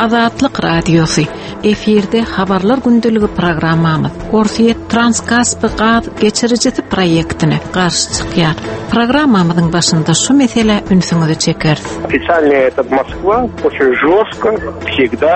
Azatlyk Radiosy, Efirde Habarlar gündeligi programmamyz Orsýet Transkaspi gaz geçirijisi proýektine garşy çykýar. Programmamyzyň başynda şu meselä ünsüňizi çekeris. Ofitsialnyý этот Moskwa oçin žostko wsegda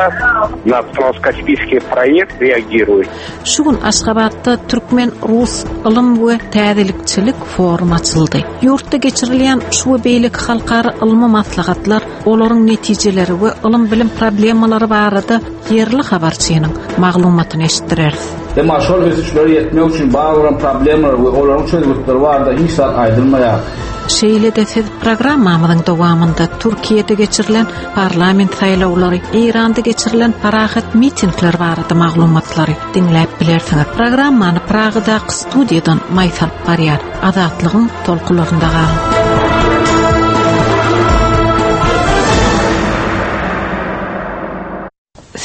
na transkaspiyskiý proýekt reagiruet. Şu gün Aşgabatda türkmen-rus ylym we täzelikçilik forumy açyldy. Ýurtda geçirilýän şu we beýleki halkara ylmy maslahatlar, olaryň netijeleri we ylym-bilim problemalary barada ýerli habarçynyň maglumatyny eşitdireris. Emma şol ösüşlere ýetmek üçin bar bolan problemalar we olaryň çözgütleri barada hiç zat aýdylmaýar. Şeýle-de siz programmamyzyň dowamynda Türkiýede geçirilen parlament saýlawlary, Eýranda geçirilen parahat mitingler barada maglumatlary diňläp bilersiňiz. Programmany Pragadaky studiýadan Maýsa alyp barýar. Azatlygyň tolkunlarynda galyň.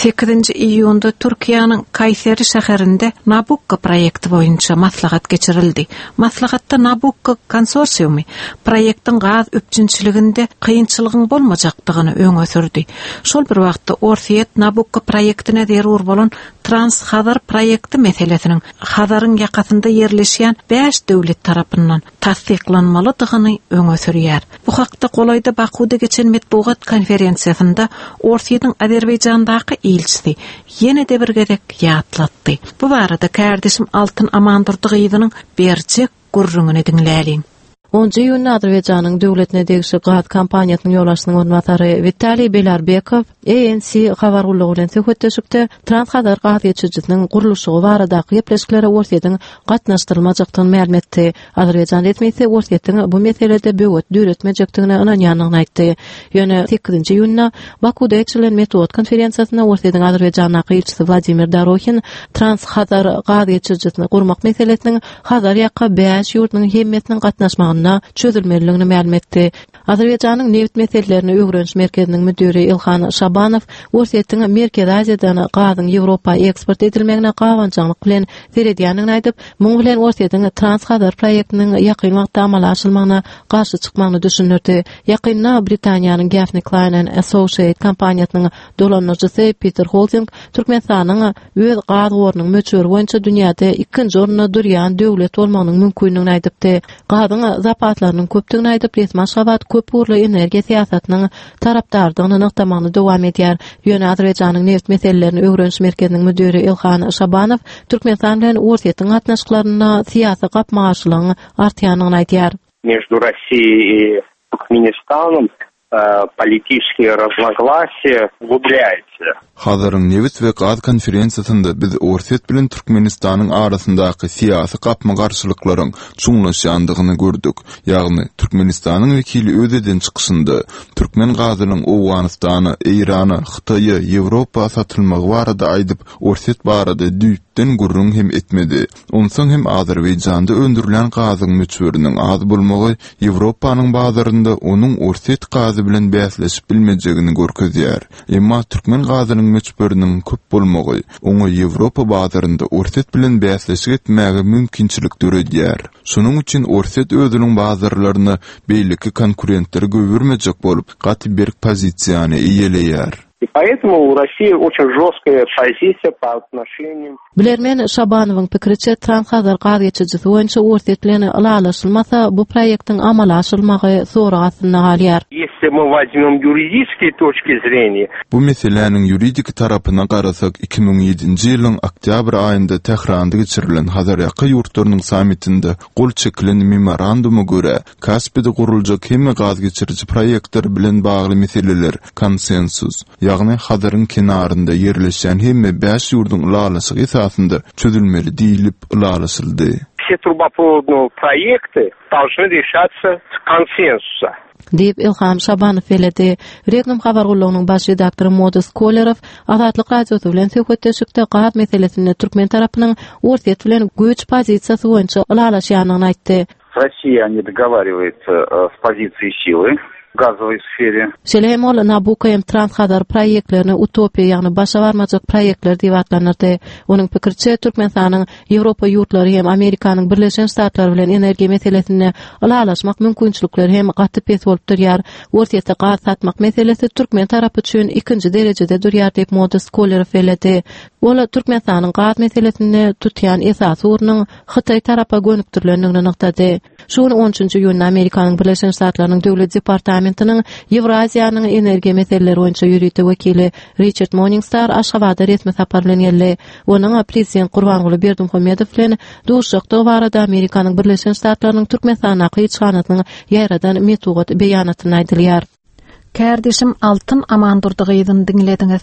Sekizinji iýunda Türkiýäniň Kaýseri şäherinde Nabukko proýekti boýunça maslahat geçirildi. Maslahatda Nabukko konsorsiumy proýektiň gaz üpjünçiliginde kynçylygyň bolmajakdygyny öňe sürdi. Şol bir wagtda Orsýet Nabukko proýektine zerur bolan Trans-Hazar proýekti meselesiniň Hazaryň ýakasynda ýerleşýän bäş döwlet tarapyndan tassyklanmalydygyny öňe sürýär. Bu hakda golaýda Bakuwda geçen metbugat konferensiýasynda Orsýetiň Azerbaýjandaky ilçisi ýene-de bir gezek ýatlatdy. Bu barada kärdeşim Altyn Amandurdy gyzynyň berjek gürrüňini diňläliň. Onunjy iýunda Azerbaýjanyň döwletine degişli gaz kompaniýasynyň ýolbaşçysynyň orunbasary Witaliý Belarbekow ANC habar gullugy bilen söhbetdeşlikde Trans-Hazar gaz geçirijisiniň gurluşygy baradaky gepleşiklere Orsýetiň gatnaşdyrylmajakdygyny mälim etdi. Azerbaýjan resmisi Orsýetiň bu meselede böwet döretmejekdigine ynanýandygyny aýtdy. Ýöne sekizinji iýunda Bakuwda geçirilen metbugat konferensiýasynda Orsýetiň Azerbaýjandaky ilçisi Wladimir Dorohin Trans-Hazar gaz geçirijisini gurmak meselesiniň Hazar ýaka bäş ýurduň hemmesiniň gatnaşmagynda çözülmelidigini mälim etdi. Azerbaýjanyň nebit meselelerini öwreniş merkeziniň müdiri Ilhan Şabanow Orsýetiň Merkezi Aziýadan gazyň Ýewropa eksport edilmegine gabanjaňlyk bilen seredýändigini aýdyp, muň bilen Orsýetiň Trans-Hazar proýektiniň ýakyn wagtda amala aşyrylmagyna garşy çykmagyny düşündirdi. Ýakynda Britaniýanyň Gaffney Cline and Associate kompaniýasynyň dolandyryjysy Peter Holding Türkmenistanyň öz gaz gorunyň möçberi boýunça dünýäde ikinji orunda durýan döwlet bolmagynyň mümkindigini aýdypdy. Gazyň zapaslarynyň köpdügini aýdyp, resmi Aşgabat köp ugurly energiýa syýasatynyň tarapdarydygyny nygtamagyny dowam edýär. Ýöne Azerbaýjanyň nebit meselelerini öwreniş merkeziniň müdiri Ilhan Şabanow Türkmenistan bilen Orsýetiň gatnaşyklarynda syýasy gapma-garşylygyň artýandygyny aýdýar. Между Россией и Туркменистаном politiçeskiýe raznoglasiýa uglublyayatsa. Hazaryň nebit we gaz konferensiýasynda biz Orsýet bilen Türkmenistanyň arasyndaky syýasy gapma-garşylyklaryň çuňlaşýandygyny gördük. Ýagny, Türkmenistanyň wekili öz eden çykyşynda türkmen gazynyň Owganystana, Eýrana, Hytaýa, Ýewropa satylmagy barada aýdyp, Orsýet barada düýpden gürrüň hem etmedi. Onsoň hem Azerbaýjanda öndürilýän gazyň möçberiniň az bolmagy Ýewropanyň bazarynda onuň orsýet gazy bilen bäsleşip bilmejegini görkezýär. Emma türkmen gazynyň möçberiniň köp bolmagy oňa Ýewropa bazarynda Orsýet bilen bäsleşik etmäge mümkinçilik döredýär. Şonuň üçin Orsýet özüniň bazarlaryna beýleki konkurentleri goýbermejek bolup, gaty berk pozisiýany eýeleýär. I poetому u Rossii oçin žostkaya pozisiýa po otnoşeniýam. Bilermen Şabanowyň pikiriçe, Trans-Hazar gaz geçirijisi boýunça Orsýet bilen ylalaşylmasa, bu proýektiň amala aşyrylmagy sorag astynda galýar. Ýesli my wozmem ýuridiskiý toçki zreniýa. Bu meseläniň ýuridiki tarapyna garasak, 2007-nji ýylyň oktýabr aýynda Tähranda geçirilen Hazarýaka ýurtlarynyň sammitinde gol çekilen memoranduma görä, Kaspide guruljak hemme gaz geçiriji proýektler bilen bagly meseleler konsensus, ýagny Hazaryň kenarynda ýerleşýän hemme bäş ýurduň ylalaşygy esasynda çözülmeli diýlip ylalaşyldy. Все трубопроводные проекты должны решаться с консенсуса. Diýip, Ilham Şabanow belledi. Regnum habar gullugynyň baş redaktory Modest Kolerow Azatlyk Radiosy bilen söhbetdeşlikde gaz meselesinde türkmen tarapynyň Orsýet bilen güýç pozisiýasy boýunça ylalaşýandygyny aýtdy. Rossiýa ne dogovariwaýatsa s pozisiýi sily. газовой сфере. Şeýle hem ol Nabucco hem Trans-Hazar proýektlerini utopiýa, ýagny başa barmajak proýektler diýip atlandyrdy. Onuň pikiriçe, Türkmenistanyň Ýewropa ýurtlary hem Amerikanyň Birleşen Ştatlary bilen energiýa meselesinde ylalaşmak mümkinçilikleri hem gaty pes bolup durýar. Orsýete gaz satmak meselesi türkmen tarapy üçin ikinji derejede durýar diýip, Modest Kolerow belledi. Ol Türkmenistanyň gaz meselesinde tutýan esasy ugrunyň Hytaý tarapa gönükdirilendigini nygtady. Şu gün on üçünji iýunda Amerikanyň Birleşen Ştatlarynyň Döwlet departamentiniň Ýewraziýanyň energiýa meseleleri boýunça ýörite wekili Riçard Morningstar Aşgabada resmi sapar bilen geldi. Onuň prezident Gurbanguly Berdimuhamedow bilen duşuşjakdygy barada Amerikanyň Birleşen Ştatlarynyň Türkmenistandaky ilçihanasynyň ýaýradan metbugat beýanatynda aýdylýar. Kärdeşim Altyn Amandurdy gyzyny diňlediňiz.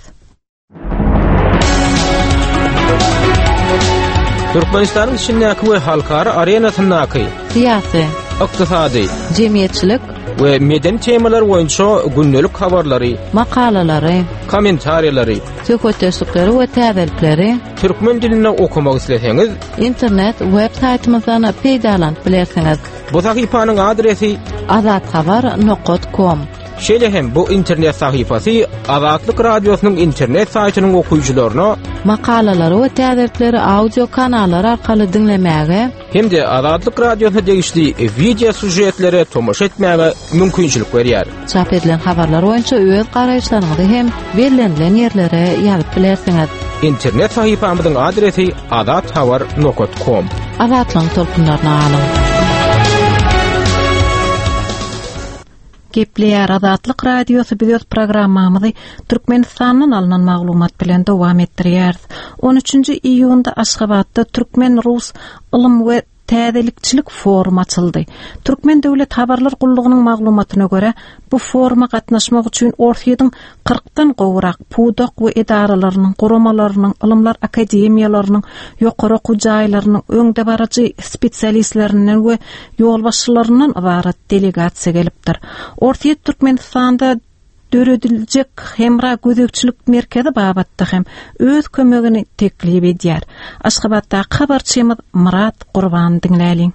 Türkmenistanyň içindäki we halkara arenasyndaky syýasy, ykdysady, jemgyýetçilik we medeni temalar boýunça gündelik habarlary, makalalary, kommentariýalary, söhbetdeşlikleri we täzelikleri türkmen dilinde okamak isleseňiz, internet web saýtymyzdan peýdalanyp bilersiňiz. Bu sahypanyň adresi azathabar nokat kom. Şeýle hem bu internet sahypasy Azatlyk Radiosynyň internet saýtynyň okyjylaryna makalalary we täzelikleri audio kanallar arkaly diňlemäge hem-de Azatlyk Radiosyna degişli wideo sýužetlere tomaşa etmäge mümkinçilik berýär. Çap edilen habarlar boýunça öz garaýyşlaryňyzy hem bellenilen ýerlere ýazyp bilersiňiz. Internet sahypamyzyň adresi azathabar nokat kom. Azatlygyň tolkunlaryna galyň! Gepleýär Azatlyk Radiosy biz öz programmamyzy Türkmenistandan alnan maglumat bilen dowam etdirýäris. 13-nji iýunda Aşgabatda türkmen-rus ylym we täzelikçilik forumy açyldy. Türkmen döwlet habarlar gullugynyň maglumatyna görä, bu foruma gatnaşmak üçin Orsýetiň kyrkdan gowrak pudak we edaralarynyň, guramalarynyň, ylymlar akademiýalarynyň, ýokary okuw jaýlarynyň öňdebaryjy spesialistlerinden we ýolbaşçylaryndan ybarat delegasiýa gelipdir. Orsýet Türkmenistanda dörediljek hemra gözegçilik merkezi babatda hem öz kömegini teklip edýär. Aşgabatdaky habarçymyz Myrat Gurbany diňläliň.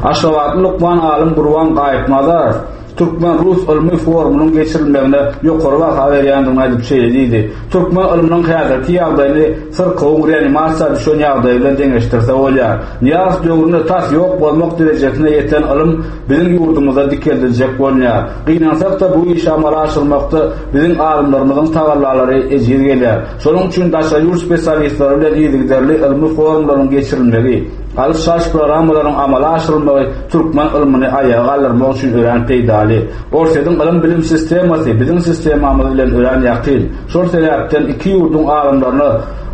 Aşgabatly lukman alym Gurban Gaýypnazarow türkmen-rus ylmy forumynyň geçirilmegine ýokary baha berýändigini aýdyp şeýle diýdi, Türkmen ylmynyň häzirki ýagdaýyny syrkawyň reanimasiýa düşen ýagdaýy bilen deňeşdirse bolýar. Nyýazow döwründe tas ýok bolmak derejesine ýeten ylym biziň ýurdumyzda dikeldiljek bolunýar. Gynansak-da, bu işi amala aşyrmakda biziň alymlarymyzyň tagallalary ejiz gelýär. Şonuň üçin daşary ýurt spesialistleri bilen yzygiderli ylmy forumlaryň geçirilmegi, alyş-çalyş programmalaryň amala aşyrylmagy türkmen ylmyny aýaga galdyrmak üçin örän peýdaly. Orsýetiň ylym-bilim sistemasy biziň sistemamyz bilen örän ýakyn. Şol sebäpden iki ýurduň alymlaryna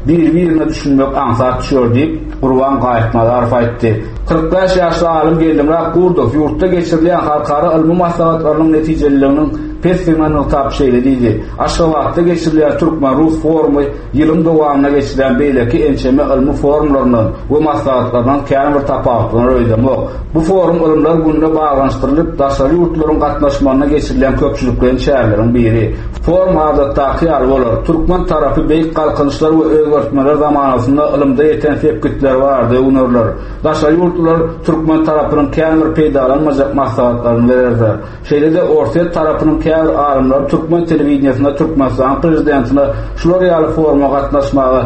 biri-birine düşünmek aňsat düşer diýip, Gurban Gaýypnazarow aýtdy. 45 ýaşly alym Geldimyrat Gurdow ýurtda geçirilýän halkara ylmy maslahatlarynyň netijeliliginiň pesdigini nygtap şeýle diýdi, Aşgabatda geçirilýän türkmen-rus forumy ýylyň dowamynda geçirilen beýleki ençeme ylmy forumlaryndan we maslahatlaryndan kän bir tapawutlanar öýdemok. Bu forum Ylymlar gününe baglanyşdyrylyp, daşary ýurtlaryň gatnaşmagynda geçirilýän köpçülikleýin çäreleriň biri. Forum adatdaky ýaly bolar. Türkmen tarapy beýik galkynyşlar we özgertmeler zamanasynda ylymda ýeten sepgitleri barada öwnerler. Daşary ýurtlular türkmen tarapynyň kän bir peýdalanmajak maslahatlaryny bererler. Şeýle-de orsýet tarapynyň käbir alymlary türkmen telewideniýesinde Türkmenistanyň prezidentine şular ýaly foruma gatnaşmaga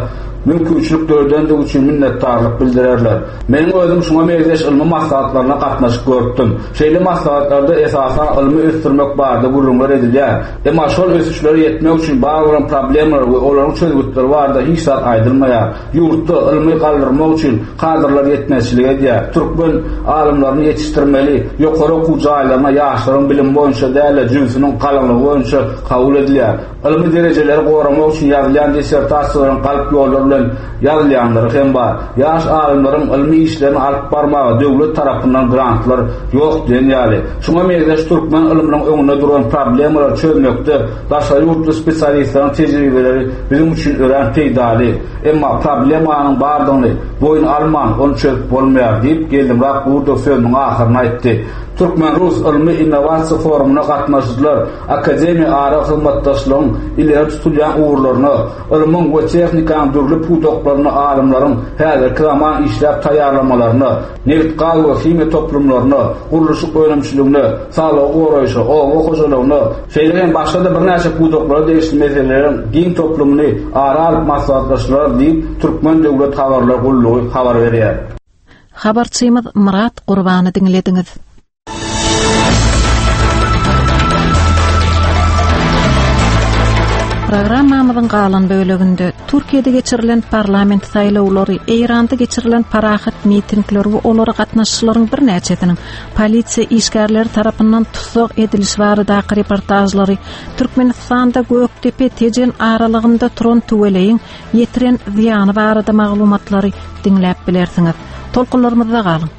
mümkinçilik döredendigi üçin minnetdarlyk bildirerler. Meniň özüm şuňa meňzeş ylmy maslahatlaryna gatnaşyp görüpdim. Şeýle maslahatlarda esasan ylmy ösdürmek barada gürrüňler edilýär. Emma şol ösüşlere ýetmek üçin bar bolan problemalar we olaryň çözgütleri barada hiç zat aýdylmaýar. Ýurtda ylmy galdyrmak üçin kadrlar ýetmezçilik edýär. Türkmen alymlaryny ýetişdirmeli, ýokary okuw jaýlaryna ýaşlaryň bilimi boýunça däl-de, jübüsiniň galyňlygy boýunça kabul edilýär. Ylmy derejeleri goramak üçin ýazylýan dissertasiýalaryň galp ýollar bilen ýazylýanlary hem bar. Ýaş alymlaryň ylmy işlerini alyp barmaga döwlet tarapyndan grantlar ýok diýen ýaly. Şuňa meňzeş türkmen ylmynyň öňünde duran problemalary çözmekde Daşary ýurtly spesialistleriň tejribeleri biziň üçin örän peýdaly. Emma problemanyň bardygyny boýun alman, ony çözüp bolmaýar, diýip, Geldimyrat Gurdow sözüniň ahyrynda aýtdy. Türkmen-rus ylmy-innowasiýa forumyna gatnaşyjylar akademiýa ara hyzmatdaşlygyň ileri tutulýan ugurlaryna, ylmyň we tehnikanyň dürli pudaklarynda alymlaryň häzirki zaman işläp taýýarlamalaryna, nebit-gaz we himiýa toplumlaryna, gurluşyk önümçiligine, saglygy goraýşa, oba hojalygyna, şeýle hem başga-da birnäçe pudaklara degişli meseleleriň giň toplumyny ara alyp maslahatlaşdylar diýip, Türkmen döwlet habarlar gullugy habar berýär. Habarçymyz Myrat Gurbany diňlediňiz. Programmamyzyň galan böleginde Türkiýede geçirilen parlament saýlawlary, Eýranda geçirilen parahat mitingler we olara gatnaşyjylaryň birnäçesiniň polisiýa işgärleri tarapyndan tussag edilişi baradaky reportažlary, Türkmenistanda Gökdepe-Tejen aralygynda turan tüweleýiň ýetiren zyýany barada maglumatlary diňläp bilersiňiz. Tolkunlarymyzda galyň.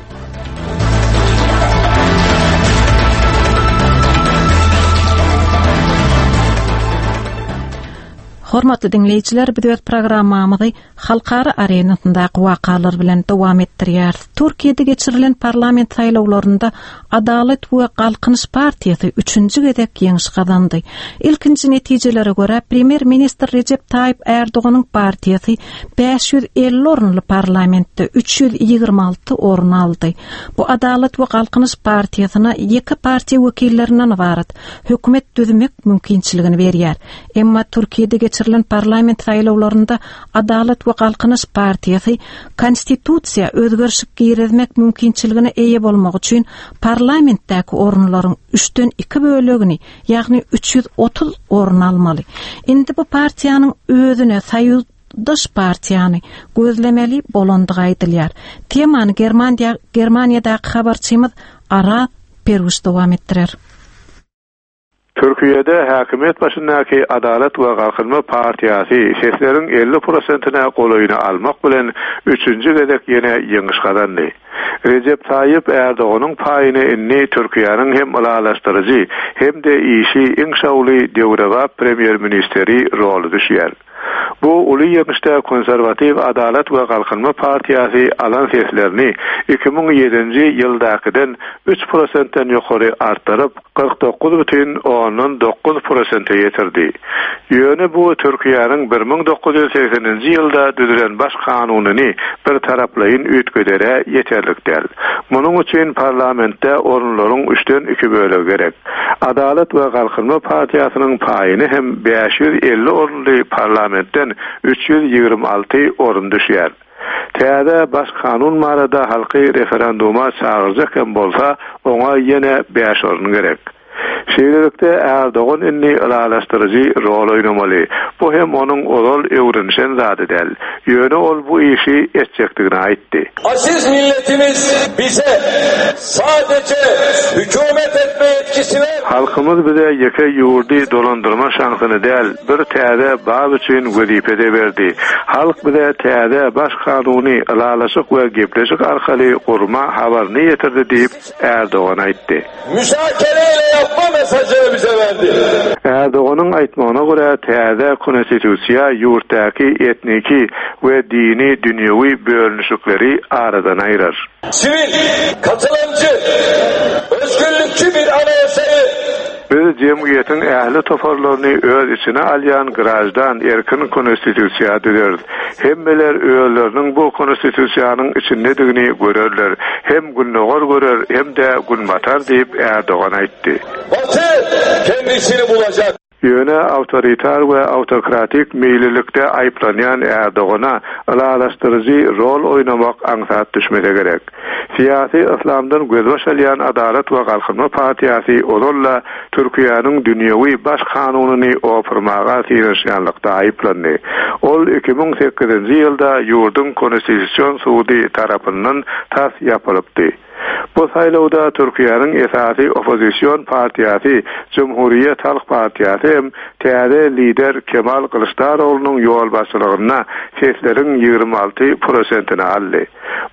Hormatly diňleýjiler, biz öz programmamyzy halkara arenasyndaky wakalar bilen dowam etdirýäris. Türkiýede geçirilen parlament saýlawlarynda Adalat we Galkynyş partiýasy üçünji gezek ýeňiş gazandy. Ilkinji netijelere görä, premýer-ministr Rejep Taýyp Ärdoganyň partiýasy 550 orunly parlamentde 326 orun aldy. Bu Adalat we Galkynyş partiýasyna ýeke partiýa wekillerinden ybarat hökümet düzmek mümkinçiligini berýär. Emma Türkiýede geçirilen parlament saýlawlarynda Adalat we Galkynyş partiýasy konstitusiýa özgerişik girizmek mümkinçiligine eýe bolmak üçin parlamentdäki orunlaryň üçden iki bölegini, ýagny 330 orun almaly. Indi bu partiýanyň özüne soýuzdaş partiýany gözlemeli bolandygy aýdylýar. Temany Germaniýa Germaniýadaky habarçymyz Araz Perwiş dowam etdirer. Türkiýede häkimiýet başyndaky Adalat we Galkynma partiýasy sesleriň 50 prosentine golaýyny almak bilen üçünji gezek ýene ýeňiş gazandy. Rejep Taýyp Ärdoganyň paýyna indi Türkiýäniň hem ylalaşdyryjy, hem-de işi iň şowly döwrebap premýer-ministeri roly düşýär. Bu uly ýeňişde konserwatiw Adalat we Galkynma partiýasy alan seslerini 2007-nji ýyldakydan üç prosentden ýokary artdyryp, 49 bütin ondan dokuz prosente ýetirdi. Ýöne bu Türkiýäniň 1980-nji ýylda düzülen Baş kanunyny birtaraplaýyn üýtgedere ýeterlik däl. Munuň üçin parlamentde orunlaryň üçden iki bölegi gerek. Adalat we Galkynma partiýasynyň paýyna hem 550 orunly parlamentden 326 orun düşýär. Täze Baş kanun barada halky referenduma çagyrjak hem bolsa, oňa ýene bäş orun gerek. Şeýlelikde, Ärdogan indi ylalaşdyryjy rol oýnamaly. Bu hem onuň ozal öwrenişen zady däl. Ýöne ol bu işi etjekdigini aýtdy. Aziz milletimiz bize sadece hükümet etme yetkisi ver. Halkymyz bize ýeke ýurdy dolandyrma şansyny däl, bir täze bap üçin wezipe-de berdi. Halk bize täze Baş kanuny ylalaşyk we gepleşik arkaly gurma habaryny ýetirdi diýip, Ärdogan aýtdy. Müzakere ile ýapma mesajyny bize berdi. Ärdoganyň aýtmagyna görä, täze konstitusiýa ýurtdaky etniki we dini-dünýewi bölünişikleri aradan aýyrar. Siwil, katylymjy, özgürlükçi bir anaýasaýy Biz jemgyýetiň ähli toparlaryny öz içine alýan graždan erkin konstitusiýa düzeris. Hemmeler özleriniň bu konstitusiýanyň içindedigini görerler. Hem Gündogar görer, hem-de Günbatar diýip, Ärdogan aýtdy. Baty kendisini bulacak. Ýöne awtoritar we awtokratik meýillilikde aýyplanýan Ärdogana ylalaşdyryjy rol oýnamak aňsat düşmese gerek. Syýasy yslamdan gözbaş alýan Adalat we Galkynma partiýasy ozal-da Türkiýäniň dünýewi Baş kanunyny opurmaga synanyşýanlykda aýyplandy. Ol 2008-nji ýylda ýurduň Konstitusion sudy tarapyndan tas ýapylypdy. Bu saýlawda Türkiýäniň esasy oppozision partiýasy Jumhuriýet halk partiýasy hem täze lider Kemal Gylyçdaroglunyň ýolbaşçylygynda sesleriň 26 prosentini aldy.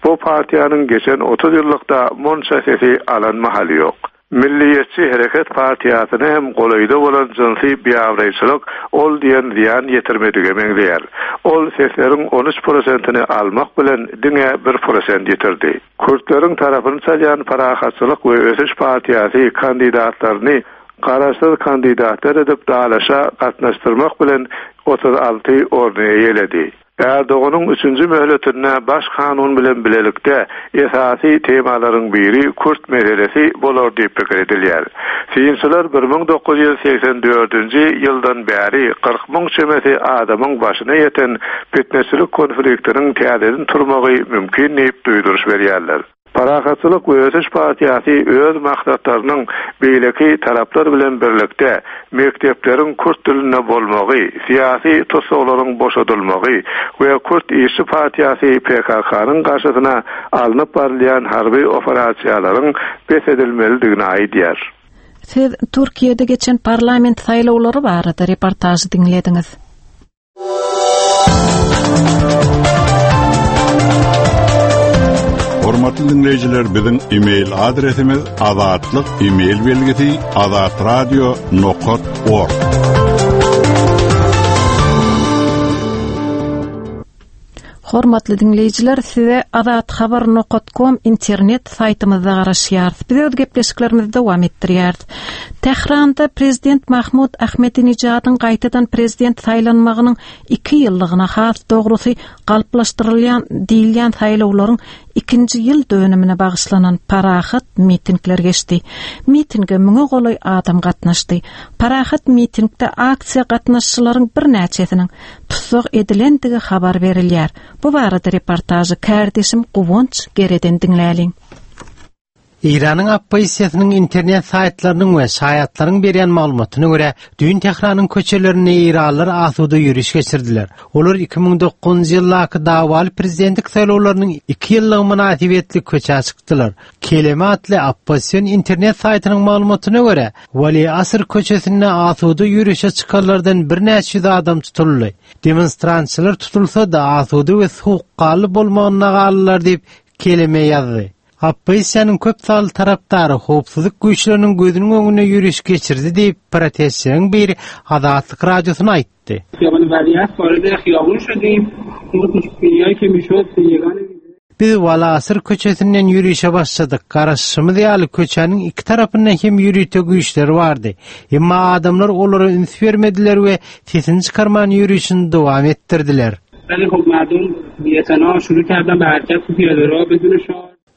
Bu partiýanyň geçen 30 ýyllykda munça sesi alan mahaly ýok. Milliýetçi hereket partiýasyna hem golaýda bolan jynsy biabraýçylyk ol diýen zyýan ýetirmedige meňzeýär. Ol sesleriň 13 prosentini almak bilen diňe bir prosent ýitirdi. Kürtleriň tarapyny çalýan Parahatçylyk we ösüş partiýasy kandidatlaryny garaşsyz kandidatlar edip dalaşa gatnaşdyrmak bilen 36 orny eýeledi. Erdoganyň üçünji möhletinde Baş kanun bilen bilelikde esasy temalaryň biri kürt meselesi bolar diýip pikir edilýär. Synçylar 1984-nji ýyldan bäri 40 müň çemesi adamyň başyna ýeten pitneçilik konfliktiniň täzeden turmagy mümkin diýip duýduryş berýärler. Parahatçylyk we ösüş partiýasy öz maksatlarynyň beýleki taraplar bilen birlikde mekdepleriň kürt dilinde bolmagy, syýasy tussaglaryň boşadylmagy we Kürt işçi partiýasy PKK-nyň garşysyna alnyp barylýan harby operasiýalaryň bes edilmelidigini aýdýar. Siz Türkiýede geçen parlament saýlawlary barada reportažy diňlediňiz. Hormatly diňleýjiler, biziň e-mail adresimiz azatlyk e-mail belgisi azatradio nokat org. Hormatly diňleýjiler, size azathabar.com internet saýtymyzda garaşýarys. Biz öz gepleşiklerimizi dowam etdirýäris. Tähranda prezident Mahmud Ahmedinejadyň gaýtadan prezident saýlanmagynyň 2 ýyllygyna, has dogrusy, galplaşdyrylýan diýilýän saýlawlaryň ikinji ýyl dönümine bagyşlanan parahat mitingler geçdi. Mitinge müňe golaý adam gatnaşdy. Parahat mitingde aksiýa gatnaşyjylaryň birnäçesiniň tussag edilendigi habar berilýär. Bu barada reportažy kärdeşim Guwanç Gereden diňläliň. Eýranyň oppozisiýasynyň internet saýtlarynyň we şaýatlaryň berýän maglumatyna görä, düýn Tähranyň köçelerinde eýranlylar asuda ýöriş geçirdiler. Olar 2009-njy ýyldaky dawaly prezidentlik saýlawlarynyň iki ýyllygy mynasybetli köçä çykdylar. Keleme atly oppozision internet saýtynyň maglumatyna görä, Wali Asr köçesinde asuda ýörişe çykanlardan birnäçe ýüz adam tutuldy. Demonstrantçylar tutulsa-da, asuda we sowukganly bolmagynda galdylar diýip, Keleme ýazdy. Oppozisiýanyň köp sanly tarapdary howpsuzlyk güýçleriniň gözüniň öňünde ýöriş geçirdi diýip, protestçileriň biri Azatlyk Radiosyna aýtdy. Biz Walasyr köçesinden ýörişe başladyk. Garaşyşymyz ýaly, köçäniň iki tarapynda hem ýörite güýçler bardy. Emma adamlar olara üns bermediler we sesini çykarman ýörişini dowam etdirdiler.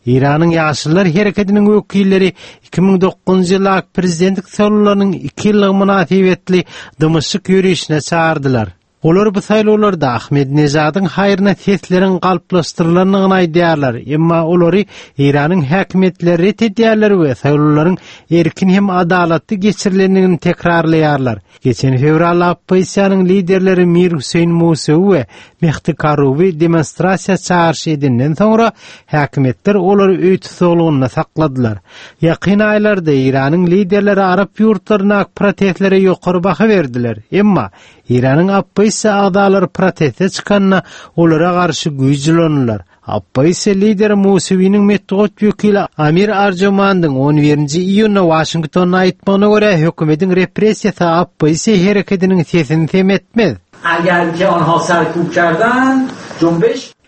Eýranyň Ýaşyllar hereketiniň wekilleri 2009-njy ýyldaky prezidentlik saýlawlarynyň iki ýyllygy mynasybetli dymyşlyk ýörişine çagyrdylar. Olar bu saýlawlarda Ahmedinejadyň haýryna sesleriň galplaşdyrylandygyny aýdýarlar, emma olary Eýranyň häkimiýetleri ret edýärler we saýlawlaryň erkin hem adalatly geçirilendigini tekrarlaýarlar. Geçen fewralda oppozisiýanyň liderleri Mir Hüseýin Musewi we Mehdi Karubi demonstrasiýa çagyryş edenden soňra, häkimiýetler olary öý tussaglygynda sakladylar. Ýakyn aýlarda Eýranyň liderleri arap ýurtlaryndaky protestlere ýokary baha berdiler, emma Eýranyň oppozisiýa agzalary proteste çykanda, olara garşy güýç ulandylar. Oppozisiýa lideri Musewiniň metbugat wekili Amir Arjomandyň on birinji iýunda Waşingtonda aýtmagyna görä, hökümetiň repressiýasy oppozisiýa herekediniň sesini sem etmez.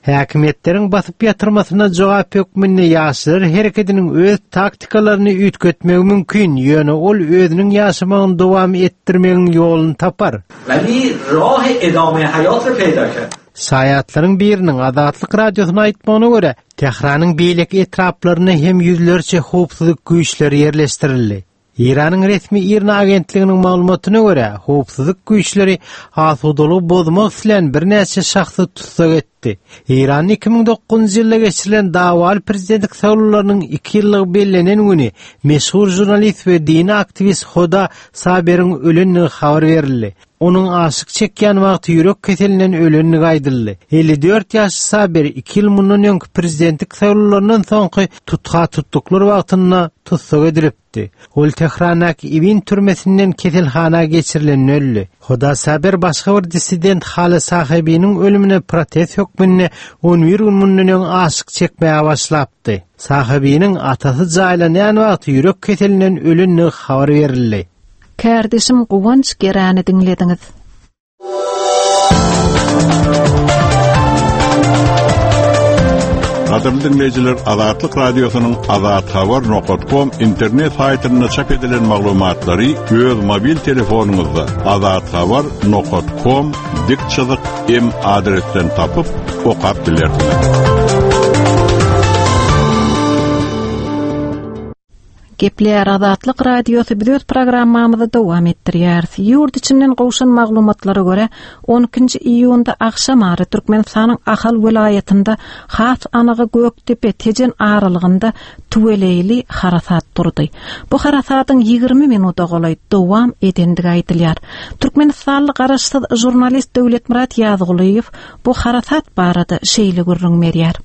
Häkimiýetleriň basyp ýatyrmasyna jogap hökmünde ýaşlar herekediniň öz taktikalaryny üýtgetmegi mümkin, ýöne ol özüniň ýaşamagyny dowam etdirmegiň ýoluny tapar. Şaýatlaryň biriniň Azatlyk Radiosyna aýtmagyna görä, Tähranyň beýleki etraplarynda hem ýüzlerçe howpsuzlyk güýçleri ýerleşdirildi. Eýranyň resmi IRNA agentliginiň maglumatyna görä, howpsuzlyk güýçleri asudalygy bozmak islän birnäçe şahsy tussag etdi. Eýranda 2009-njy ýylda geçirilen dawaly prezidentlik saýlawlarynyň iki ýyllygy bellenen güni meşhur žurnalist we dini aktiwist Hoda Saberiň ölendigi habar berildi. Onuň aşyk çekýän wagty ýürek keselinden ölendigi aýdyldy. 54 ýaşly Saberi iki ýyl mundan öňki prezidentlik saýlawlaryndan soňky tutha-tutluklar wagtynda tussag edilipdi. Ol Tährandaky Ewin türmesinden keselhana geçirilende öldi. Hoda Saber başga bir dissident Hale Sahebiniň ölümine protest hökmünde on bir gün mundan öň aşyk çekmäge başlapdy. Sahebiniň atasy jaýlanýan wagty ýürek keselinden ölendigi habar berildi. Kärdeşim Guwanç Geräni diňlediňiz. Gadyrly diňleýjiler, Azatlyk Radiosynyň Azathabar nokat kom internet saýtynda çap edilen maglumatlary öz mobil telefonyňyzda azathabar nokat kom dik çyzyk m adresden tapyp okap bilersiňiz. Gepleýär Azatlyk Radiosy biz öz programmamyzy dowam etdirýäris. Ýurt içinden gowşan maglumatlara görä, 12-nji iýunda agşam ara Türkmenistanyň Ahal welaýatynda, has anygy Gökdepe, Tejen aralygynda tüweleýli harasat turdy. Bu harasadyň 20 minuda golaý dowam edendigi aýdylýar. Türkmenistanly garaşsyz žurnalist Döwletmyrat Ýazgulyýew bu harasat barada şeýle gürrüň berýär.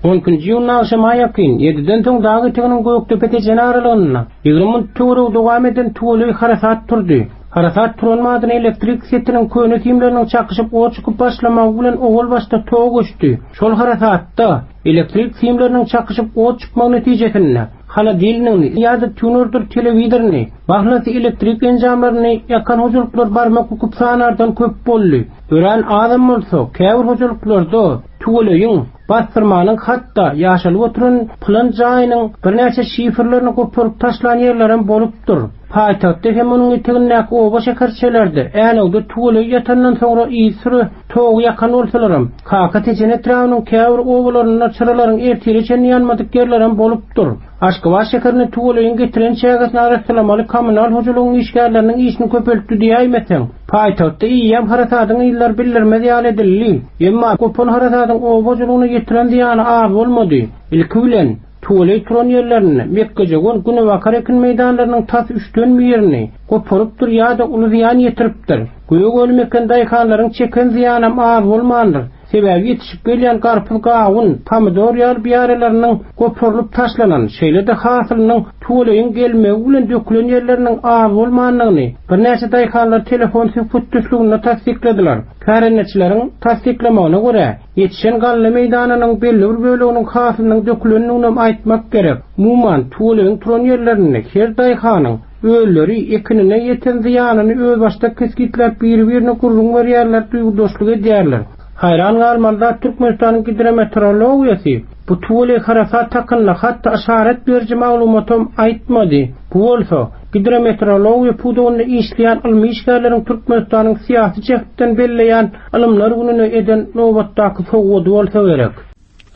On ikinji iýunda agşama ýakyn, ýediden soň dag eteginiň Gökdepe-Tejen aralygynda 20 minut töweregi dowam eden tüweleý harasat turdy. Harasat turan badyna elektrik setiniň köne simleriniň çakyşyp ot çykyp başlamagy bilen owal başda tok öçdi. Şol harasatda elektrik simleriniň çakyşyp ot çykmagy netijesinde holodilnigini ýa-da tunerdir telewizoryny, mahlasy elektrik enjamlaryny ýakan hojalyklar barmak büküp sanardan köp boldy. Örän azam bolsa, käbir hojalyklarda Tüweleýiň, bassyrmanyň hat-da ýaşalyp oturan pylan jaýynyň birnäçe şiferlerini goparyp taşlan ýerlerem bolupdyr. Paýtagtda hem onuň etegindäki oba-şäherçelerde Änewde tüweleý ýatandan soňra yzysüre togy ýakan bolsalaram, Kaka Tejen etrabynyň käbir obalarynda çyralaryň ertire çenli ýanmadyk ýerlerem bolupdyr. Aşgabat şäherinde tüweleýiň getiren çägesini arassalamaly kommunal hojalygyň işgärleriniň işini köpeltdi diýäýmeseň, paýtagtda eýýäm harasadyň yzlary bildirmez ýaly edildi. Emma gopan harasadyň oba hojalygyna ýetiren zyýany az bolmady. Ilki bilen, tüweleý turan ýerlerinde mekgejöwen, günebakar ekin meýdanlarynyň tas üçden birini goparypdyr ýa-da uly zyýan ýetiripdir. Gök önüm eken daýhanlaryň çeken zyýanam az bolmandyr. Sebäbi ýetişip gelýän garpyz-gawun, pomidor ýaly biýaralarynyň goparylyp taşlanan, şeýle-de hasylynyň tüweleýiň gelmegi bilen dökülen ýerleriniň az bolmandygyny birnäçe daýhanlar telefon söhbetdeşliginde tassykladylar. Kärendeçileriň tassyklamagyna görä, ýetişen galla meýdanynyň belli bir böleginiň hasylynyň dökülendiginem aýtmak gerek. Umuman, tüweleýiň turan ýerlerinde her daýhanyň özleri ekinine ýeten zyýanyny özbaşdak kesgitläp biri-birine gürrüň berýärler, duýgudaşlyk edýärler. Haýran galmaly zat Türkmenistanyň gidrometeorologiýasy bu tüweleý harasat hakynda hatda yşarat beriji maglumatam aýtmady. Bu bolsa, gidrometeorologiýa pudagynda işleýän ylmy işgärleriň Türkmenistanyň syýasy jähtden belleýän Ylymlar gününe eden nobatdaky sowgady bolsa gerek.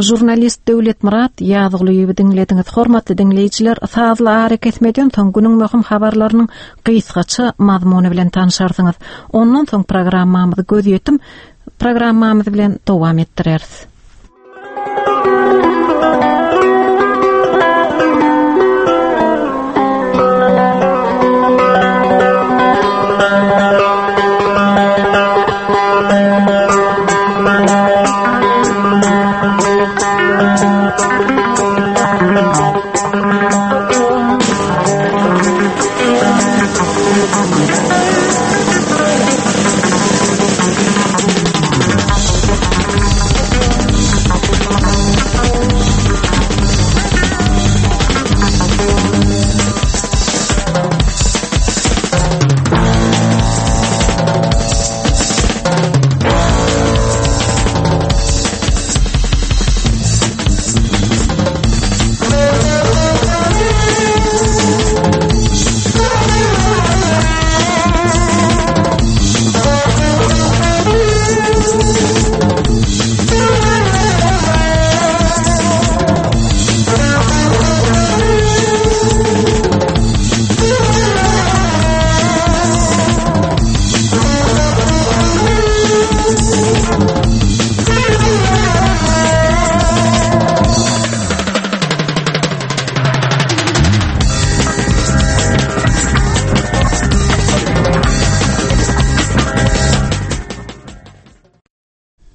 Žurnalist Döwletmyrat Ýazgulyýewi diňlediňiz. Hormatly diňleýjiler, sazly arakesmeden soň günüň möhüm habarlarynyň gysgaça mazmuny bilen tanşarsyňyz. Ondan soň programmamyzy gözýetim programmamyz bilen dowam etdireris.